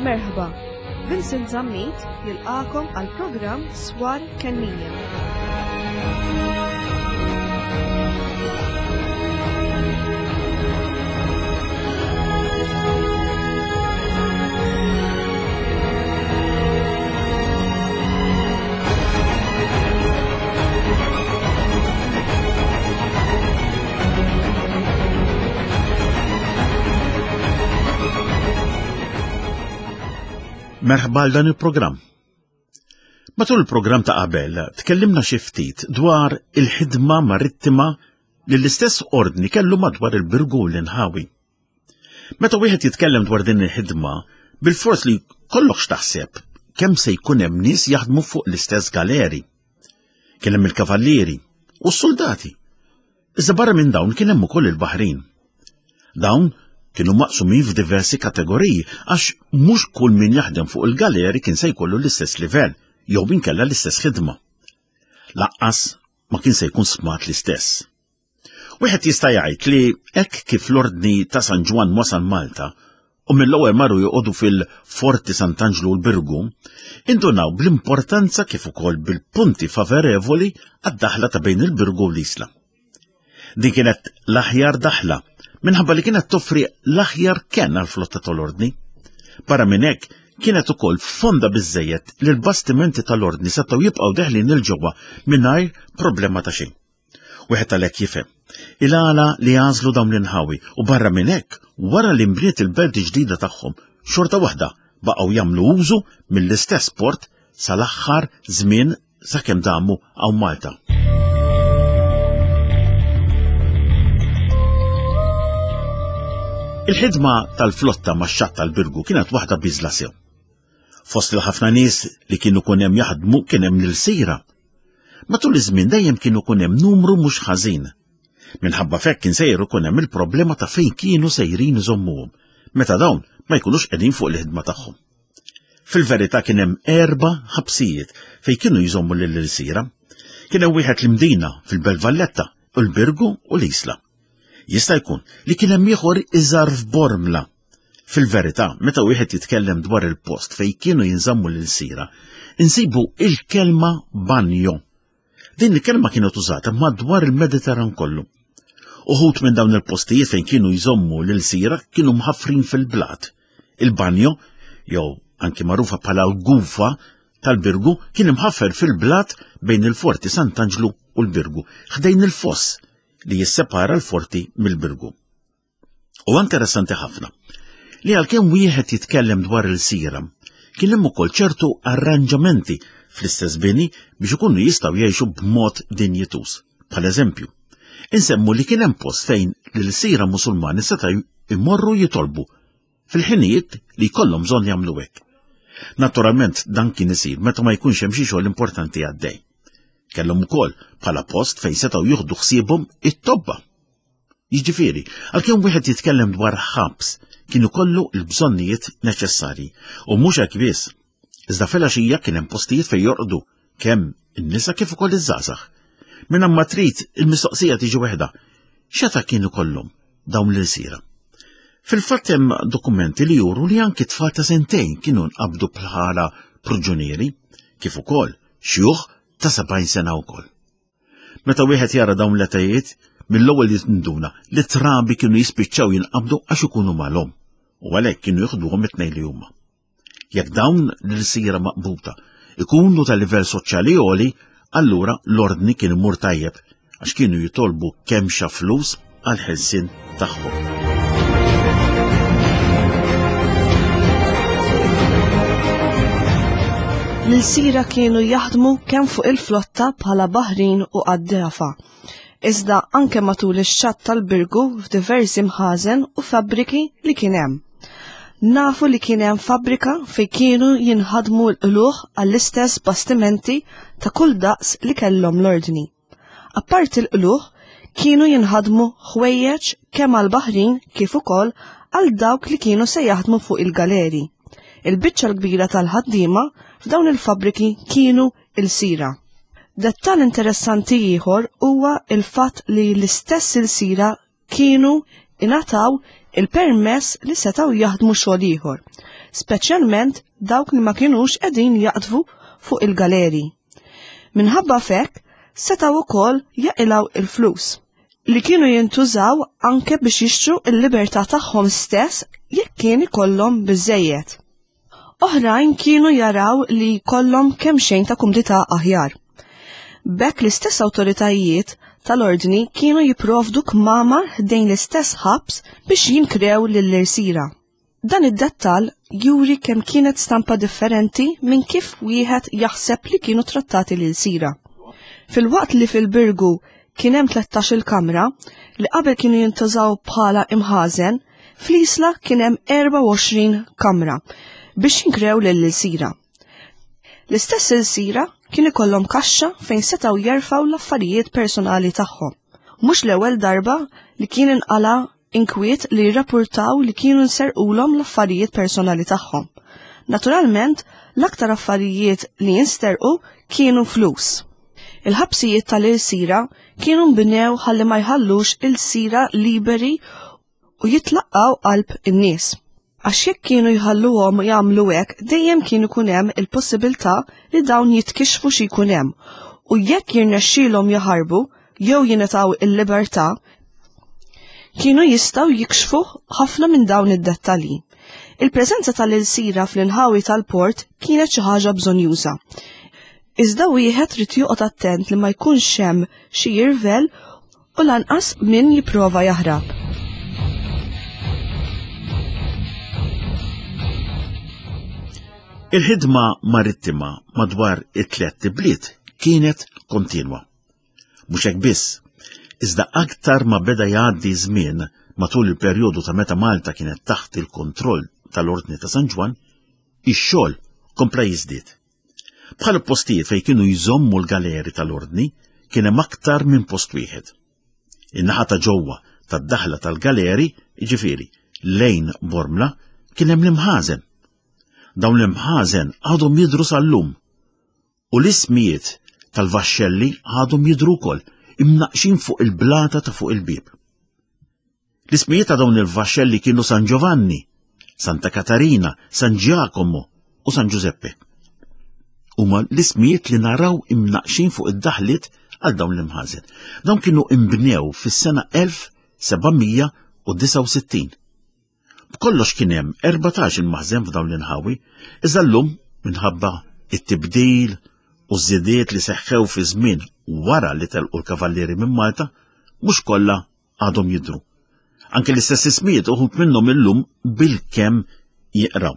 Merħba, Vincent Zammit jilqakom għal programm Swar Kennija. Merħba għal dan il-programm. Matul il-programm ta' qabel tkellimna xi ftit dwar il-ħidma marittima li l-istess ordni kellu madwar il-Birgu l-inħawi. Meta wieħed jitkellem dwar din il-ħidma, bilfors li kollok x'taħseb kemm se jkun hemm nies jaħdmu fuq l-istess galeri. Kien hemm il-kavallieri u s-soldati. Iżda barra minn dawn kien hemm ukoll il-baħrin. Dawn kienu maqsumin f'diversi kategoriji għax mhux kull min jaħdem fuq il-galeri kien se jkollu l-istess livell jew inkella l-istess ħidma. Laqqas ma kien se jkun smat l-istess. Wieħed jista' jgħid li hekk kif l-Ordni ta' San Ġwann wasal Malta u mill-ewwel marru joqogħdu fil-Forti Sant'Anġlu l-Birgu, indunaw bl-importanza kif ukoll bil-punti favorevoli għad-daħla ta' bejn il-Birgu u l-Isla. Din kienet l-aħjar daħla minħabba li kienet toffri l-aħjar kenn għall-flotta tal-Ordni. Barra minn hekk, kienet ukoll fonda biżżejjed li l-bastimenti tal-Ordni setgħu jibqgħu deħlin 'il ġewwa mingħajr problema ta' xejn. Wieħed għalhekk jifhem il-għala li għażlu dawn l-inħawi u barra minn hekk wara li nbniet il-belt ġdida tagħhom xorta waħda baqgħu jagħmlu użu mill-istess port sal-aħħar żmien sakemm damu hawn Malta. Il-ħidma tal-flotta max-xatt tal-Birgu kienet waħda biżla sew. Fost il-ħafna nies li kienu kun hemm jaħdmu kien hemm l-sira Matul iż-żmien dejjem kien ikun hemm numru mhux ħażin. Minħabba f'hekk kien sejjer ikun hemm il-problema ta' fejn kienu sejrin iżommuhom, meta dawn ma jkunux qegħdin fuq il-ħidma tagħhom. Fil-verità kien hemm erba' ħabsijiet fejn kienu jżommu lill-ilsira. Kien hemm wieħed l-Imdina fil-Belt Valletta, u l-Birgu u l-Isla. Jista' jkun li kien hemm ieħor iżgħar f'Bormla Fil-verità, meta wieħed jitkellem dwar il-post fejn kienu jinżammu l-ilsira, insibu il-kelma banjo. Din il-kelma kienet użata madwar il-Mediterran kollu. Uħut minn dawn il-postijiet fejn kienu jżommu l-ilsira kienu mħaffrin fil-blat. Il-banjo, jew anki magħrufa bħala l-gufa tal-Birgu, kien imħaffer fil-blat bejn il-Forti Sant'Anġlu u l-Birgu, ħdejn il-foss li jissepara l-Forti mill-Birgu. U interessanti ħafna li għalkemm wieħed jitkellem dwar il-sira, kien hemm ukoll ċertu arranġamenti fl-istess bini biex ikunu jistgħu jgħixu b'mod dinjituż. Bħal eżempju, insemmu li kien hemm post fejn l-sira Musulmani seta' jmorru jitolbu fil-ħinijiet li jkollhom bżonn jagħmlu hekk. Naturalment dan kien isir meta ma jkunx hemm xi xogħol importanti għaddej. Kellhom ukoll bħala post fejn setgħu jieħdu ħsiebhom it-tobba. Jiġifieri, għalkemm wieħed jitkellem dwar ħabs, kien ikollu l-bżonnijiet neċessarji. U mhux hekk biss. Iżda filgħaxija kien hemm postijiet fejn jorqdu kemm in-nisa kif ukoll iż-żgħażagħ. Minn ma trid il-mistoqsija tiġi waħda. X'eta kien ikollhom dawn l-ilsira? Fil-fatt hemm dokumenti li juru li anki tfal ta' sentejn kienu nqabdu bħala pruġunieri, kif ukoll xjuħ ta' 70 sena wkoll. Meta wieħed jara dawn l-etajiet, mill-ewwel jinduna li trabi kienu jispiċċaw jinqabdu għax ikunu malhom u għalhekk kienu jieħduhom it-tnejn li huma. Jekk dawn l-sira maqbuta ikunu ta' livell soċjali għoli, allura l-ordni kien imur tajjeb għax kienu jitolbu kemxa flus għall-ħelsien tagħhom. L-ilsira kienu jaħdmu kemm fuq il-flotta bħala baħrin u qaddefa, iżda anke matul ix-xatt tal-Birgu f'diversi mħażen u fabbriki li kien hemm. Nafu li kien hemm fabbrika fejn kienu jinħadmu l-qlugħ għall-istess bastimenti ta' kull daqs li kellhom l-ordni. Apparti l-qlugħ, kienu jinħadmu ħwejjeġ kemm għall-baħrin kif ukoll għal dawk li kienu se jaħdmu fuq il-galeri. Il-biċċa l-kbira tal-ħaddiema f'dawn il-fabbriki kienu ilsira. Dettall interessanti ieħor huwa il-fatt li l-istess ilsira kienu ingħataw il-permess li setgħu jaħdmu xogħol ieħor, speċjalment dawk li ma kinux qegħdin jaqdfu fuq il-galeri. Minħabba f'hekk setgħu wkoll jaqilgħu il-flus li kienu jintużaw anke biex jixtru l-libertà tagħhom stess jekk kien ikollhom biżejjed. Oħrajn kienu jaraw li jkollhom kemm xejn ta' kumdità aħjar. B'hekk l-istess awtoritajiet tal-ordni kienu jipprovdu kmamar ħdejn l-istess ħabs biex jinkrew lill-irsira. Dan id-dettall juri kemm kienet stampa differenti minn kif wieħed jaħseb li kienu trattati l-ilsira. Filwaqt li fil-Birgu kien hemm 13-il kamra li qabel kienu jintużaw bħala imħażen, Fl-Isla kien hemm 24 kamra biex jinkrew lill-ilsira. L-istess ilsira kien ikollhom kaxxa fejn setgħu jerfgħu l-affarijiet personali tagħhom. Mhux l-ewwel darba li kien inqala inkwiet li jirrapurtaw li kienu nserqulhom l-affarijiet personali tagħhom. Naturalment, l-aktar affarijiet li jinsterqu kienu flus. Il-ħabsijiet tal-ilsira kienu nbnew ħalli ma jħallux ilsira liberi u jitlaqqgħu qalb in-nies. Għax jekk kienu jħalluhom jagħmlu hekk dejjem kien ikun hemm il-possibilità li dawn jitkixxfu xi jkun hemm u jekk jirnexxielhom jaħarbu jew jingħataw il-libertà, kienu jistgħu jikxfu ħafna minn dawn id-dettalji. Il-preżenza tal-ilsira fl-inħawi tal-port kienet xi ħaġa bżonjuża. Iżda wieħed rid joqgħod attent li ma jkunx hemm xi jirvel u lanqas min jipprova jaħrab. Il-ħidma marittima madwar it-tlett ibliet kienet kontinwa. Mhux hekk biss, iżda aktar ma beda jgħaddi żmien matul il-perjodu ta' meta Malta kienet taħt il-kontroll tal-Ordni ta' San Ġwann, ix-xogħol kompla jiżdied. Bħal postijiet fejn kienu jżommu l-galeri tal-ordni kien hemm aktar minn post wieħed. In-naħa ta' ġewwa tad-daħla tal-galeri, jiġifieri lejn Bormla, kien hemm l-imħażen. Dawn l-imħażen għadhom jidhru sal-lum u l-ismijiet tal-vaxxelli għadhom jidhru wkoll imnaqxin fuq il-blata ta' fuq il-bieb. L-ismijiet ta' dawn il-vaxxelli kienu San Giovanni, Santa Katarina, San Giacomo u San Giuseppe. Huma l-ismijiet li naraw imnaqxin fuq id-daħliet għal dawn l-imħażen. Dawn kienu imbnew fis-sena 1769. B'kollox kien hemm 14 il-maħżen f'dawn l-inħawi, iżda llum minħabba it-tibdil u żidiet li seħħew fi żmien wara li telqu l-kavallieri minn Malta, mhux kollha għadhom jidhru. Anke l-istess ismijiet uħud minnhom illum bil-kemm jiqraw.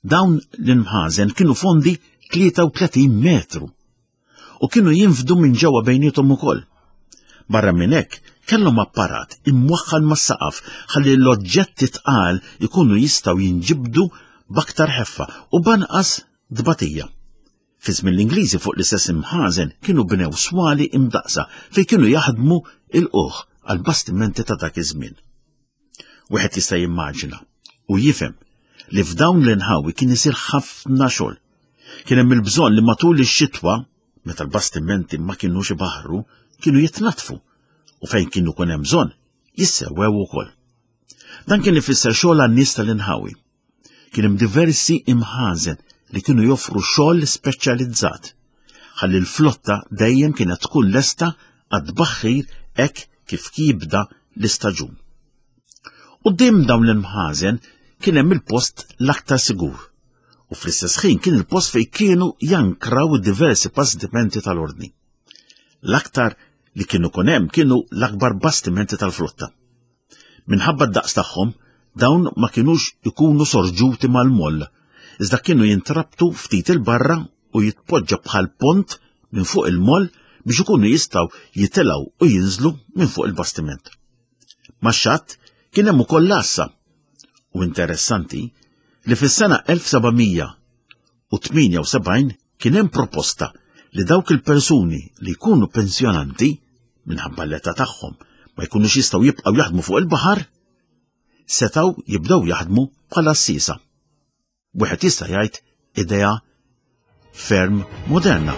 Dawn l-imħażen kienu fondi 33 metru u kienu jinfdu minn ġewwa bejniethom ukoll. Barra minn hekk, kellhom apparat imwaħħal mas-saqaf ħalli l-oġġetti tqal ikunu jistgħu jinġibdu b'aktar ħeffa u b'anqas tbatija. Fi żmien l-Ingliżi fuq l-istess imħażen kienu bnew swali imdaqsa fejn kienu jaħdmu il-quħ għal bastimenti ta' dak iż-żmien. Wieħed jista' jimmaġina u jifhem li f'dawn l-inħawi kien isir ħafna xogħol. Kien hemm il-bżonn li matul ix-xitwa, meta l-bastimenti ma kinux ibaħħru, kienu jitnaddfu u fejn kienu kun hemm bżonn jissewwew ukoll. Dan kien ifisser xogħol għan-nies tal-inħawi. Kien hemm diversi imħażen li kienu joffru xogħol speċjalizzat ħalli l-flotta dejjem kienet tkun lesta għat-tbaħħir hekk kif jibda l-istaġun. Quddiem dawn l-imħażen kien hemm il-post l-aktar sigur u fl-istess ħin kien il-post fejn kienu jankraw diversi bastimenti tal-ordni. L-aktar li kienu kun hemm kienu l-akbar bastimenti tal-flotta. Minħabba d-daqs tagħhom, dawn ma kinux ikunu sorġuti mal-moll, iżda kienu jintrabtu ftit 'il barra u jitpoġġa bħal pont minn fuq il-moll biex ikunu jistgħu jitilgħu u jinżlu minn fuq il-bastiment. Max-xatt kien hemm ukoll l-għassa. U interessanti li fis-sena 1778 kien hemm proposta li dawk il-persuni li jkunu pensjonanti minħabba l-età tagħhom ma jkunux jistgħu jibqgħu jaħdmu fuq il-baħar, setgħu jibdew jaħdmu bħala għassiesa. Wieħed jista' jgħid idea ferm moderna.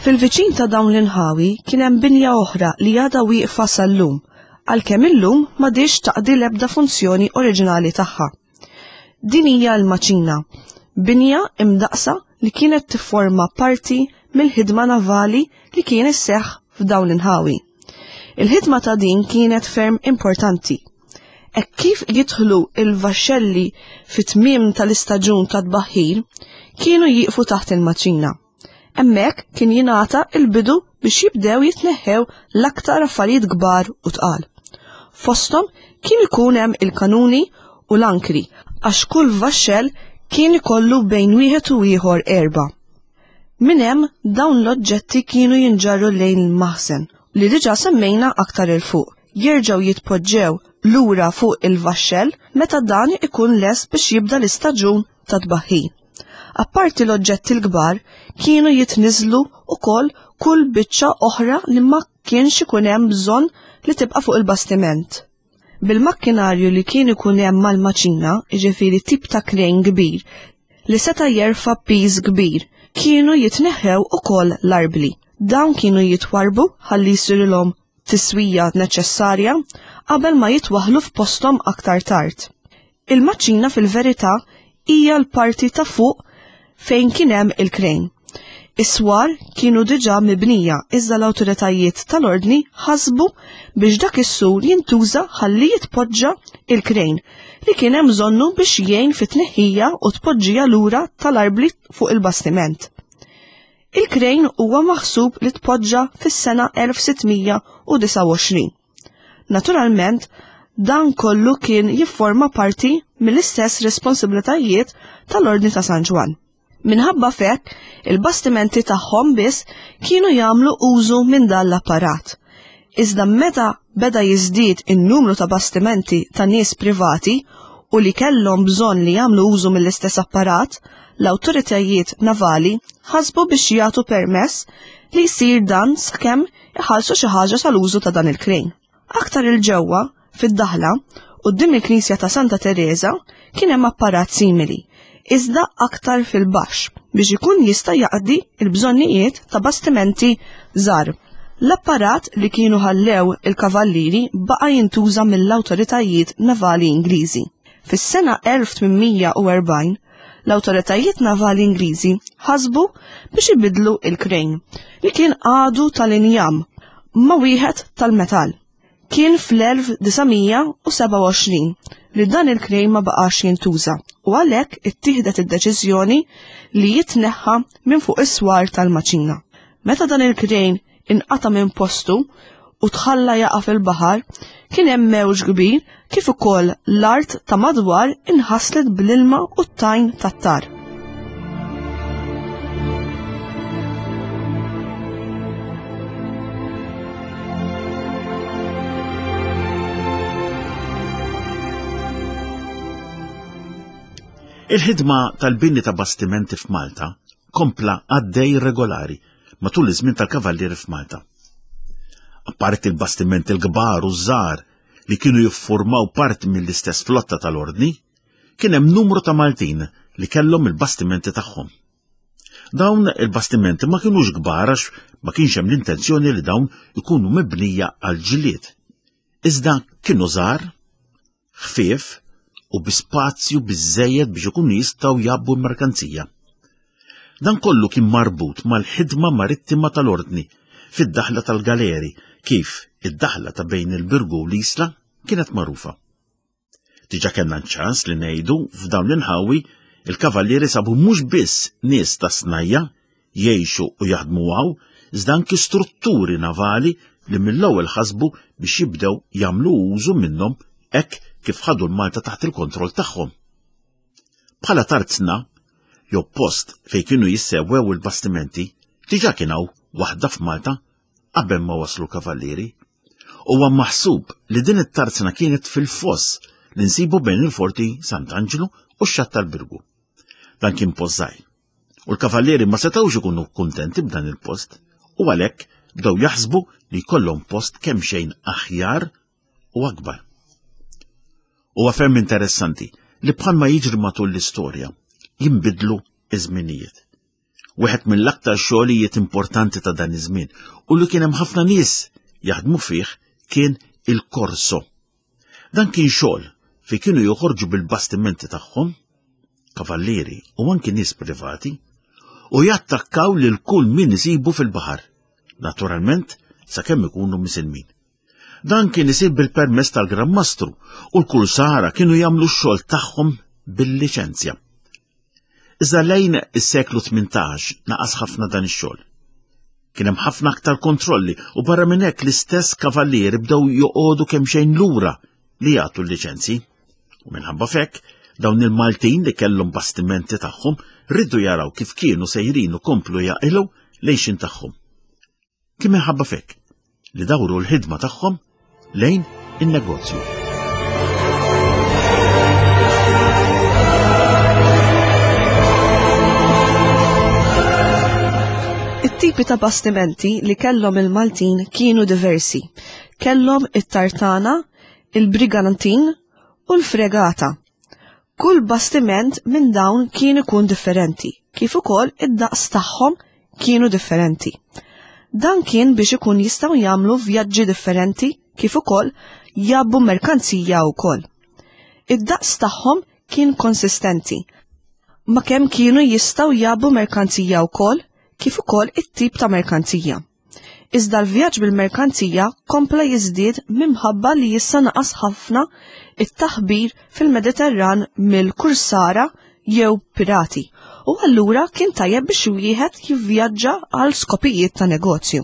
Fil-viċin ta' dawn l-inħawi kien hemm binja oħra li għadha wieqfa sal-lum, għalkemm illum m'għadhiex taqdi l-ebda funzjoni oriġinali tagħha. Din hija l-maċina, binja imdaqqsa li kienet tifforma parti mill-ħidma navali li kien isseħħ f'dawn l-inħawi. Il-ħidma ta' din kienet ferm importanti. Hekk kif jidħlu il-vaxxelli fit-tmiem tal-istaġun ta' tbaħħir, kienu jieqfu taħt il-maċina. Hemmhekk kien jingħata il-bidu biex jibdew jitneħħew l-aktar affarijiet kbar u tqal. Fosthom kien ikun hemm il-kanuni u l-ankri għax kull vaxxell kien ikollu bejn wieħed u ieħor erbgħa. Minn hemm dawn l-oġġetti kienu jinġarru lejn il-maħżen li diġà semmejna aktar 'il fuq, jerġgħu jitpoġġew lura fuq il-vaxxell meta dan ikun lest biex jibda l-istaġun ta' tbaħħir. Apparti l-oġġetti l-kbar, kienu jitniżżlu wkoll kull biċċa oħra li ma kienx ikun hemm bżonn li tibqa' fuq il-bastiment. Bil-makkinarju li kien ikun hemm mal-maċina, jiġifieri tip ta' krejn kbir li seta' jerfa' piż kbir, kienu jitneħħew ukoll l-arbli. Dawn kienu jitwarrbu ħalli jsirilhom tiswija neċessarja qabel ma jitwaħħlu f'posthom aktar tard. Il-maċina fil-verità hija l-parti ta' fuq fejn kien hemm il-krejn. Is-swar kienu diġà mibnija iżda l-awtoritajiet tal-Ordni ħasbu biex dak is-sur jintuża ħalli jitpoġġa il-krejn li kien hemm bżonnu biex jgħin fit-tneħħija u tpoġġija lura tal-arbli fuq il-bastiment. Il-krejn huwa maħsub li tpoġġa fis-sena 1629. Naturalment, dan kollu kien jifforma parti mill-istess responsabilitajiet tal-Ordni ta' San Ġwann. Minħabba f'hekk, il-bastimenti tagħhom biss kienu jagħmlu użu minn dan l-apparat. Iżda meta beda jiżdied in-numru ta' bastimenti ta' nies privati u li kellhom bżonn li jagħmlu użu mill-istess apparat, l-awtoritajiet navali ħasbu biex jagħtu permess li jsir dan sakemm iħallsu xi ħaġa tal-użu ta' dan il-krejn. Aktar 'il ġewwa, fid-daħla, quddiem il-knisja ta' Santa Tereża, kien hemm apparat simili, iżda aktar fil-baxx biex ikun jista' jaqdi l-bżonnijiet ta' bastimenti żgħar. L-apparat li kienu ħallew il-kavallieri baqa' jintuża mill-awtoritajiet navali Ingliżi. Fis-sena 1840, l-awtoritajiet navali Ingliżi ħasbu biex ibiddlu il-krejn li kien għadu tal-injam ma' wieħed tal-metall. Kien fl-1927 li dan il-krejn ma baqax jintuża u għalhekk ittieħdet id-deċiżjoni li jitneħħa minn fuq is-swar tal-maċina. Meta dan il-krejn inqata' minn postu u tħalla jaqa' fil-baħar, kien hemm mewġ kbir kif ukoll l-art ta' madwar inħaslet bl-ilma u t-tajn tat-tar. Il-ħidma tal-bini ta' bastimenti f'Malta kompla għaddej regolari matul iż-żmien tal-Kavallieri f'Malta. Apparti l-bastimenti l-kbar u żgħar li kienu jiffurmaw parti mill-istess flotta tal-Ordni, kien hemm numru ta' Maltin li kellhom il-bastimenti tagħhom. Dawn il-bastimenti ma kinux kbar għax ma kienx hemm l-intenzjoni li dawn ikunu mibnija għal ġlied. Iżda kienu żgħar, ħfief u bi spazju biżżejjed biex ikunu jistgħu jgħabbu l-merkanzija. Dan kollu kien marbut mal-ħidma marittima tal-Ordni fid-daħla tal-Galeri kif id-daħla ta' bejn il-Birgu u l-Isla kienet magħrufa. Diġà kellna ċans li ngħidu f'dawn l-inħawi il-kavallieri sabu mhux biss nies ta' snajja jgħixu u jaħdmu hawn, iżda anki strutturi navali li mill-ewwel ħasbu biex jibdew jagħmlu użu minnhom hekk kif ħadu l-Malta taħt il-kontroll tagħhom. Bħala tarzna, jew post fejn kienu jissewwew il-bastimenti, diġà kien hawn waħda f'Malta qabel ma waslu l-kavallieri. Huwa maħsub li din it-tarzna kienet fil-foss li nsibu bejn il-Forti Sant'Anġlu u x-Xatt tal-Birgu. Dan kien post żgħir. U l-kavallieri ma setgħux ikunu kuntenti b'dan il-post u għalhekk bdew jaħsbu li jkollhom post kemm xejn aħjar u akbar. Huwa ferm interessanti li bħalma jiġri matul l-istorja jinbidlu iż-żminijiet. Wieħed mill-aktar xogħlijiet importanti ta' dan iż-żmien u li kien hemm ħafna nies jaħdmu fih kien il-korso. Dan kien xogħol fi kienu joħorġu bil-bastimenti tagħhom, kavallieri u anki nies privati, u jattakkaw lil kull min isibu fil-baħar, naturalment sakemm ikunu misilmin. Dan kien isir bil-permess tal-Gran Mastru u l-kursara kienu jagħmlu x-xogħol tagħhom bil-liċenzja. Iżda lejn is-seklu 18 naqas ħafna dan ix-xogħol. Kien hemm ħafna aktar kontrolli u barra minn hekk l-istess kavallieri bdew joqogħdu kemm xejn lura li jagħtu l-liċenzji. U minħabba fekk, dawn il-Maltin li kellhom bastimenti tagħhom rridu jaraw kif kienu sejrin u komplu jaqilgħu lejxin tagħhom. Kien minħabba fekk li dawru l-ħidma tagħhom lejn in-negozju. It-tipi ta' bastimenti li kellhom il-Maltin kienu diversi. Kellhom it-tartana, il-brigantin u l-fregata. Kull bastiment minn dawn kien ikun differenti, kif ukoll id-daqs tagħhom kienu differenti. Dan kien biex ikun jistgħu jagħmlu vjaġġi differenti kif ukoll jgħabbu merkanzija wkoll. Id-daqs tagħhom kien konsistenti ma kemm kienu jistgħu jgħabbu merkanzija wkoll kif ukoll it-tip ta' merkanzija. Iżda l-vjaġġ bil-merkanzija kompla jiżdied minħabba li issa naqas ħafna it-taħbir fil-Mediterran mill-kursara jew pirati u allura kien tajjeb biex wieħed jivvjaġġa għal skopijiet ta' negozju.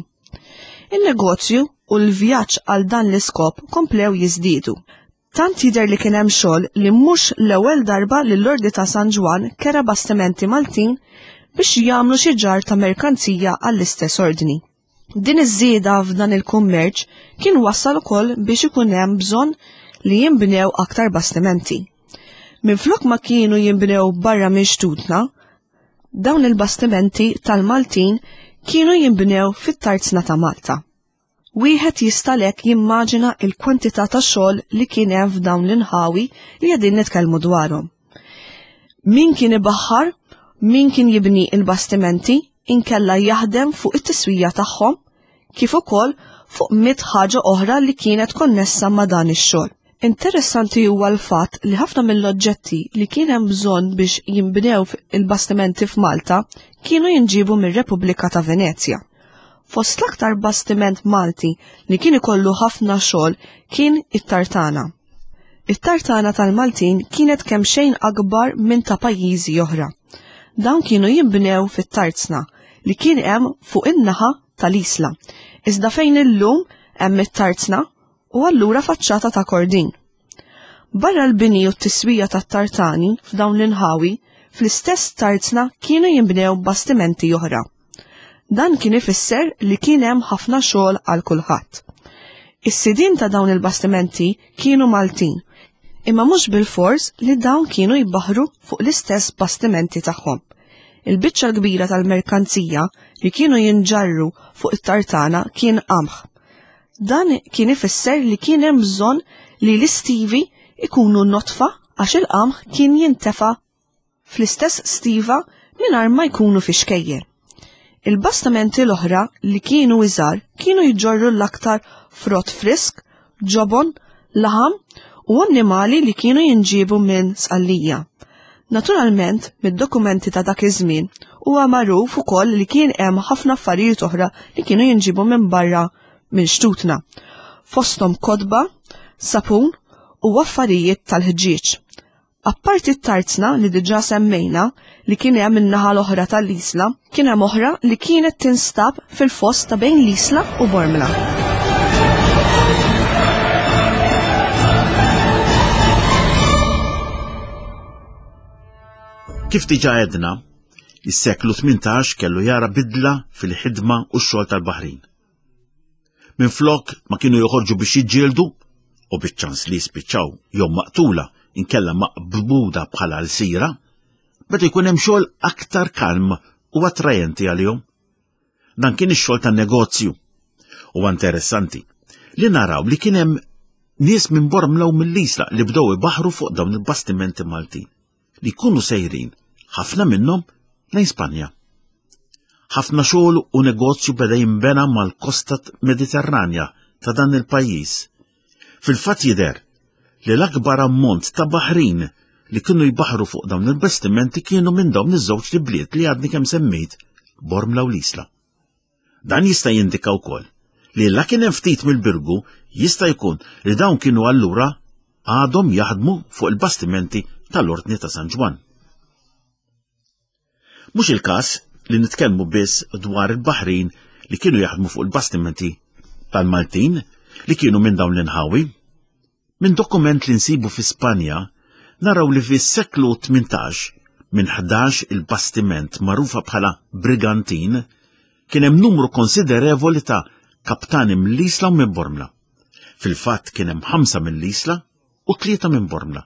In-negozju u l-vjaġġ għal dan l-iskop komplew jiżdiedu. Tant jidher li kien hemm xogħol li mhux l-ewwel darba li l-Ordni ta' San Ġwann kera bastimenti Maltin biex jagħmlu xi ġarr ta' merkanzija għall-istess ordni. Din iż-żieda f'dan il-kummerċ kien wassal ukoll biex ikun hemm bżonn li jinbnew aktar bastimenti. Minflok ma kienu jinbnew barra minn xtutna, dawn il-bastimenti tal-Maltin kienu jinbnew fit-tarzna ta' Malta. Wieħed jista' għalhekk jimmaġina l-kwantità ta' xogħol li kien hemm f'dawn l-inħawi li qegħdin nitkellmu dwarhom. Min kien ibaħħar, min kien jibni il-bastimenti, inkella jaħdem fuq it-tiswija tagħhom, kif ukoll fuq mit ħaġa oħra li kienet konnessa ma' dan ix-xogħol. Interessanti huwa l-fatt li ħafna mill-oġġetti li kien hemm bżonn biex jinbnew il-bastimenti f'Malta kienu jinġiebu mir-Repubblika ta' Venezja. Fost l-aktar bastiment Malti li kien ikollu ħafna xogħol kien it-tartana. It-tartana tal-Maltin kienet kemxejn akbar minn ta' pajjiżi oħra. Dawn kienu jinbnew fit-tarzna li kien hemm fuq in-naħa tal-Isla, iżda fejn illum hemm it-tarzna u allura faċċata ta' Kordin. Barra l-bini u t-tiswija tat-tartani f'dawn l-inħawi, fl-istess tarzna kienu jinbnew bastimenti oħra. Dan kien ifisser li kien hemm ħafna xogħol għal kulħadd. Is-sidien ta' dawn il-bastimenti kienu Maltin, imma mhux bilfors li dawn kienu jbaħħru fuq l-istess bastimenti tagħhom. Il-biċċa l-kbira tal-merkanzija li kienu jinġarru fuq it-tartana kien qamħ. Dan kien ifisser li kien hemm bżonn li l-istivi ikunu notfa għax il-qamħ kien jintefa' fl-istess stiva mingħajr ma jkunu fi xkejjer. Il-bastimenti l-oħra li kienu iżgħar kienu jġorru l-aktar frott frisk, ġobon, laħam u annimali li kienu jinġiebu minn Sqallija. Naturalment, mid-dokumenti ta' dak iż-żmien huwa magħruf ukoll li kien hemm ħafna affarijiet oħra li kienu jinġiebu minn barra minn xtutna. Fosthom kotba, sapun u affarijiet tal-ħġieġ. Apparti t-tarzna li diġà semmejna li kien hemm in-naħa l-oħra tal-Isla, kien hemm oħra li kienet tinstab fil-foss ta' bejn l-Isla u Bormla. Kif diġà għedna, is-seklu 18 kellu jara bidla fil-ħidma u x-xogħol tal-baħrin. Minflok ma kienu joħorġu biex jiġġieldu u biċ-ċans li jispiċċaw jew maqtula inkella maqbuda bħala lsira, beda jkun hemm xogħol aktar kalm u attrajenti għalihom. Dan kien ix-xogħol tan-negozju. Huwa interessanti li naraw li kien hemm nies minn Bormla u mill-Isla li bdew ibaħru fuq dawn il-bastimenti Maltin li jkunu sejrin ħafna minnhom lejn Spanja. Ħafna xogħol u negozju beda jinbena mal-kosta Mediterranja ta' dan il-pajjiż. Fil-fatt jidher li l-akbar ammont ta' baħrin li kienu jbaħru fuq dawn il-bastimenti kienu minn dawn iż-żewġ bliet li għadni kemm semmejt, Bormla u l-Isla. Dan jista' jindika wkoll li la kien hemm ftit mill-Birgu jista' jkun li dawn kienu allura għadhom jaħdmu fuq il-bastimenti tal-Ordni ta' San Ġwann. Mhux il-każ li nitkellmu biss dwar il-baħrin li kienu jaħdmu fuq il-bastimenti tal-Maltin li kienu minn dawn l-inħawi. Minn dokument li nsibu fi Spanja naraw li fis-seklu 18 minn 11 il-bastiment magħrufa bħala brigantin kien hemm numru konsiderevoli ta' kaptani mill-Isla u minn Bormla. Fil-fatt kien hemm ħamsa mill-Isla u tlieta minn Bormla,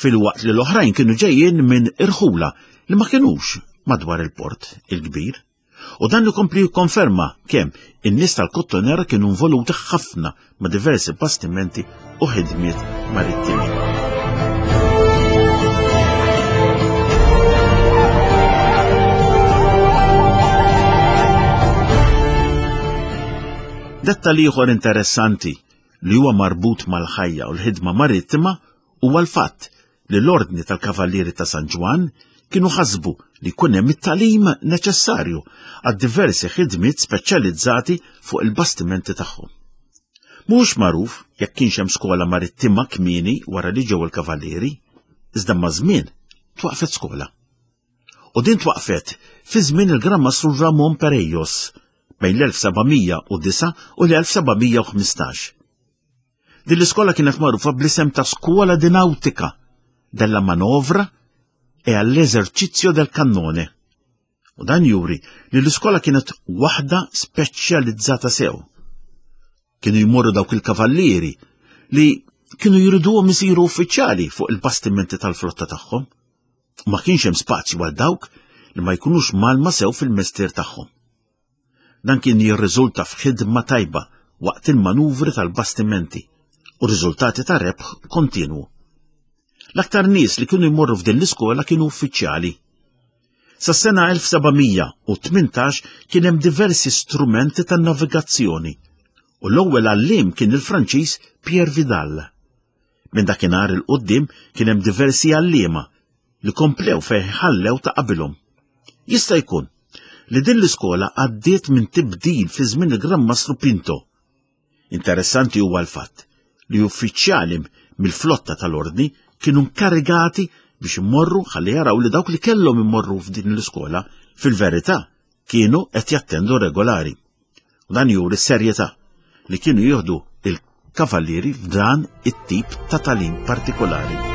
filwaqt li l-oħrajn kienu ġejjin minn irħula li ma kinux madwar il-port il-kbir. U dan ikompli jikkonferma kemm in-nies tal-Kottonera kienu involuti ħafna ma' diversi bastimenti u ħidmiet marittimi. Dettal ieħor interessanti li huwa marbut mal-ħajja u l-ħidma marittima huwa l-fatt li l-Ordni tal-Kavallieri ta' San Ġwann kienu ħasbu li jkun hemm it-tagħlim neċessarju għad-diversi ħidmiet speċjalizzati fuq il-bastimenti tagħhom. Mhux magħruf jekk kienx hemm skola marittima kmieni wara li ġew il-Kavallieri, iżda maż-żmien twaqfet skola. U din twaqfet fi żmien il-Gran Mastru Ramon Perejos bejn l-1709 u l-1715. Din l-iskola kienet magħrufa bl-isem ta' Scuola di Nautica della Manovra e all'esercizio del cannone. U dan juri li l-iskola kienet waħda speċjalizzata sew. Kienu jmorru dawk il-kavallieri li kienu jriduhom isiru uffiċjali fuq il-bastimenti tal-flotta tagħhom. U ma kienx hemm spazju għal dawk li ma jkunux malma sew fil-mestier tagħhom. Dan kien jirriżulta f'ħidma tajba waqt il-manuvri tal-bastimenti u riżultati ta' rebħ kontinwu. L-aktar nies li kienu jmorru f'din l-iskola kienu uffiċjali. Sas-sena 1718 kien hemm diversi strumenti tan-navigazzjoni u l-ewwel għalliem kien il-Franċiż Pierre Vidal. Minn dakinhar 'il quddiem kien hemm diversi għalliema li komplew fejn ħallew ta' qabilhom. Jista' jkun li din l-iskola għaddiet minn tibdil fi żmien il-Gran Mastru Pinto. Interessanti huwa l-fatt li uffiċjali mill-flotta tal-Ordni kienu nkarigati biex imorru ħalli jaraw li dawk li kellhom imorru f'din l-iskola fil-verità kienu qed jattendu regolari. U dan juri s-serjetà li kienu jieħdu il-kavallieri f'dan it-tip ta' talim partikolari.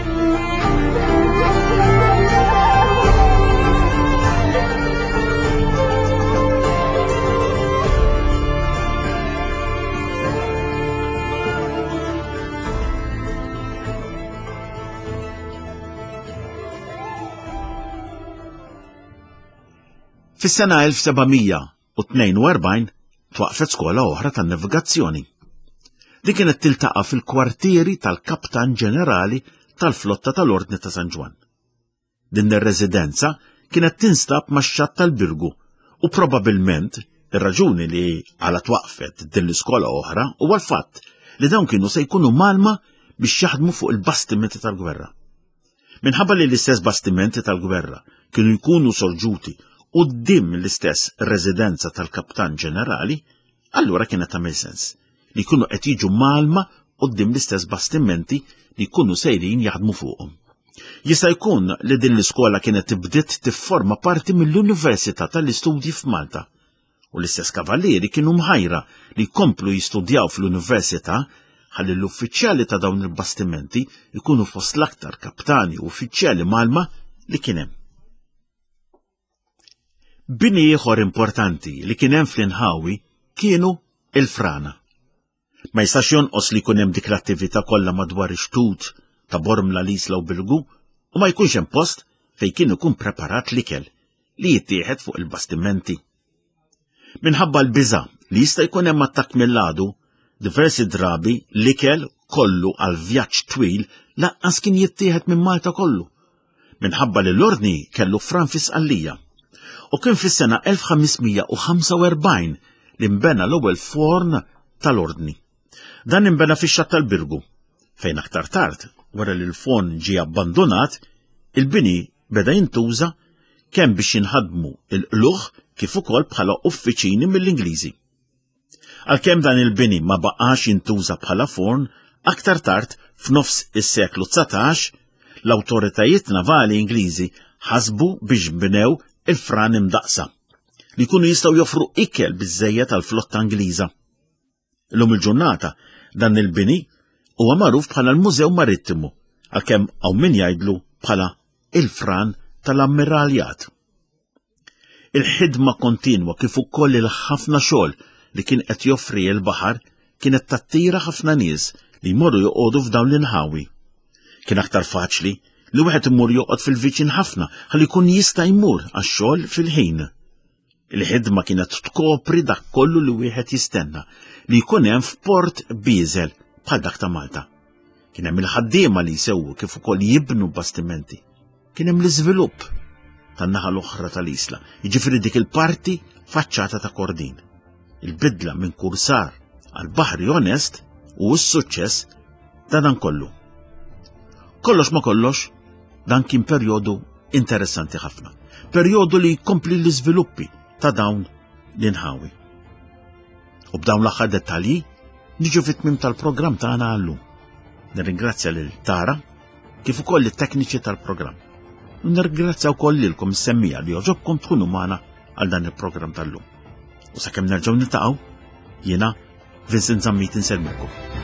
Fis-sena 1742 twaqfet skola oħra tan-navigazzjoni. Din kienet tiltaqa' fil-kwartieri tal-Kaptan Ġenerali tal-Flotta tal-Ordni ta' San Ġwann. Din ir-residenza kienet tinstab max-xatt tal-Birgu u probabilment ir-raġuni li għala twaqfet din l-iskola oħra huwa l-fatt li dawn kienu se jkunu mgħallma biex jaħdmu fuq il-bastimenti tal-gwerra. Minħabba li l-istess bastimenti tal-gwerra kienu jkunu sorġuti quddiem l-istess residenza tal-Kaptan Ġenerali, allura kienet tagħmel sens li jkunu qed jiġu mgħallma quddiem l-istess bastimenti li jkunu sejrin jaħdmu fuqhom. Jista' jkun li din l-iskola kienet bdiet tifforma parti mill-Università tal-Istudji f'Malta u l-istess kavallieri kienu mħajra li jkomplu jistudjaw fl-università ħalli l-uffiċjali ta' dawn il-bastimenti jkunu fost l-aktar kaptani u uffiċjali mgħallma li kien hemm. Bini ieħor importanti li kien hemm fl-inħawi kienu il-frana. Ma jistax jonqos li jkun hemm dik l-attività kollha madwar ix-xtut ta' Bormla, l-Isla u Birgu u ma jkunx hemm post fejn kien ikun preparat l-ikel li jittieħed fuq il-bastimenti. Minħabba l-biża' li jista' jkun hemm attakk mill-għadu, diversi drabi l-ikel kollu għal vjaġġ twil lanqas kien jittieħed minn Malta kollu, minħabba li l-Ordni kellu fran fi Sqallija. U kien fis-sena 1545 li nbena l-ewwel forn tal-Ordni. Dan inbena fix-xatt tal-Birgu, fejn aktar tard, wara li l-forn ġie abbandunat, il-bini beda jintuża kemm biex jinħadmu l-qlugħ kif ukoll bħala uffiċini mill-Ingliżi. Għalkemm dan il-bini ma baqax jintuża bħala forn, aktar tard f'nofs is-seklu 19, l-awtoritajiet navali Ingliżi ħasbu biex bnew il-fran imdaqqsa li jkunu jistgħu joffru ikel biżżejjed għall-flotta Ingliża. Illum il-ġurnata dan il-bini huwa magħruf bħala l-Mużew Marittimu għalkemm hawn min jgħidlu bħala il-fran tal-Ammiraljat. Il-ħidma kontinwa kif ukoll il-ħafna xogħol li kien qed joffri l-baħar kienet tattira ħafna nies li jmorru joqogħdu f'dawn l-inħawi. Kien aktar faċli li wieħed imur joqgħod fil-viċin ħafna ħalli jkun jista' jmur għax-xogħol fil-ħin. Il-ħidma kienet tkopri dak kollu li wieħed jistenna li jkun hemm f'port bieżel bħal dak ta' Malta. Kien hemm il-ħaddiema li jsewwu kif ukoll jibnu bastimenti. Kien hemm l-iżvilupp tan-naħa l-oħra tal-isla, jiġifieri dik il-parti faċċata ta' Kordin. Il-bidla minn kursar għal baħri onest u s-suċċess ta' dan kollu. Kollox ma kollox, dan kien perjodu interessanti ħafna. Perjodu li jkompli l-iżviluppi ta' dawn l-inħawi. U b'dawn l-aħħar dettalji niġu fit-tmim tal-programm tagħna għallum. Nirringrazzja lil Tara kif ukoll it-tekniċi tal-programm. U nirringrazzja wkoll lilkom is-semmija li joġobkom tkunu magħna għal dan il-programm tal-lum. U sakemm nerġgħu niltaqgħu, jiena Vincent Zammit insellmilkom.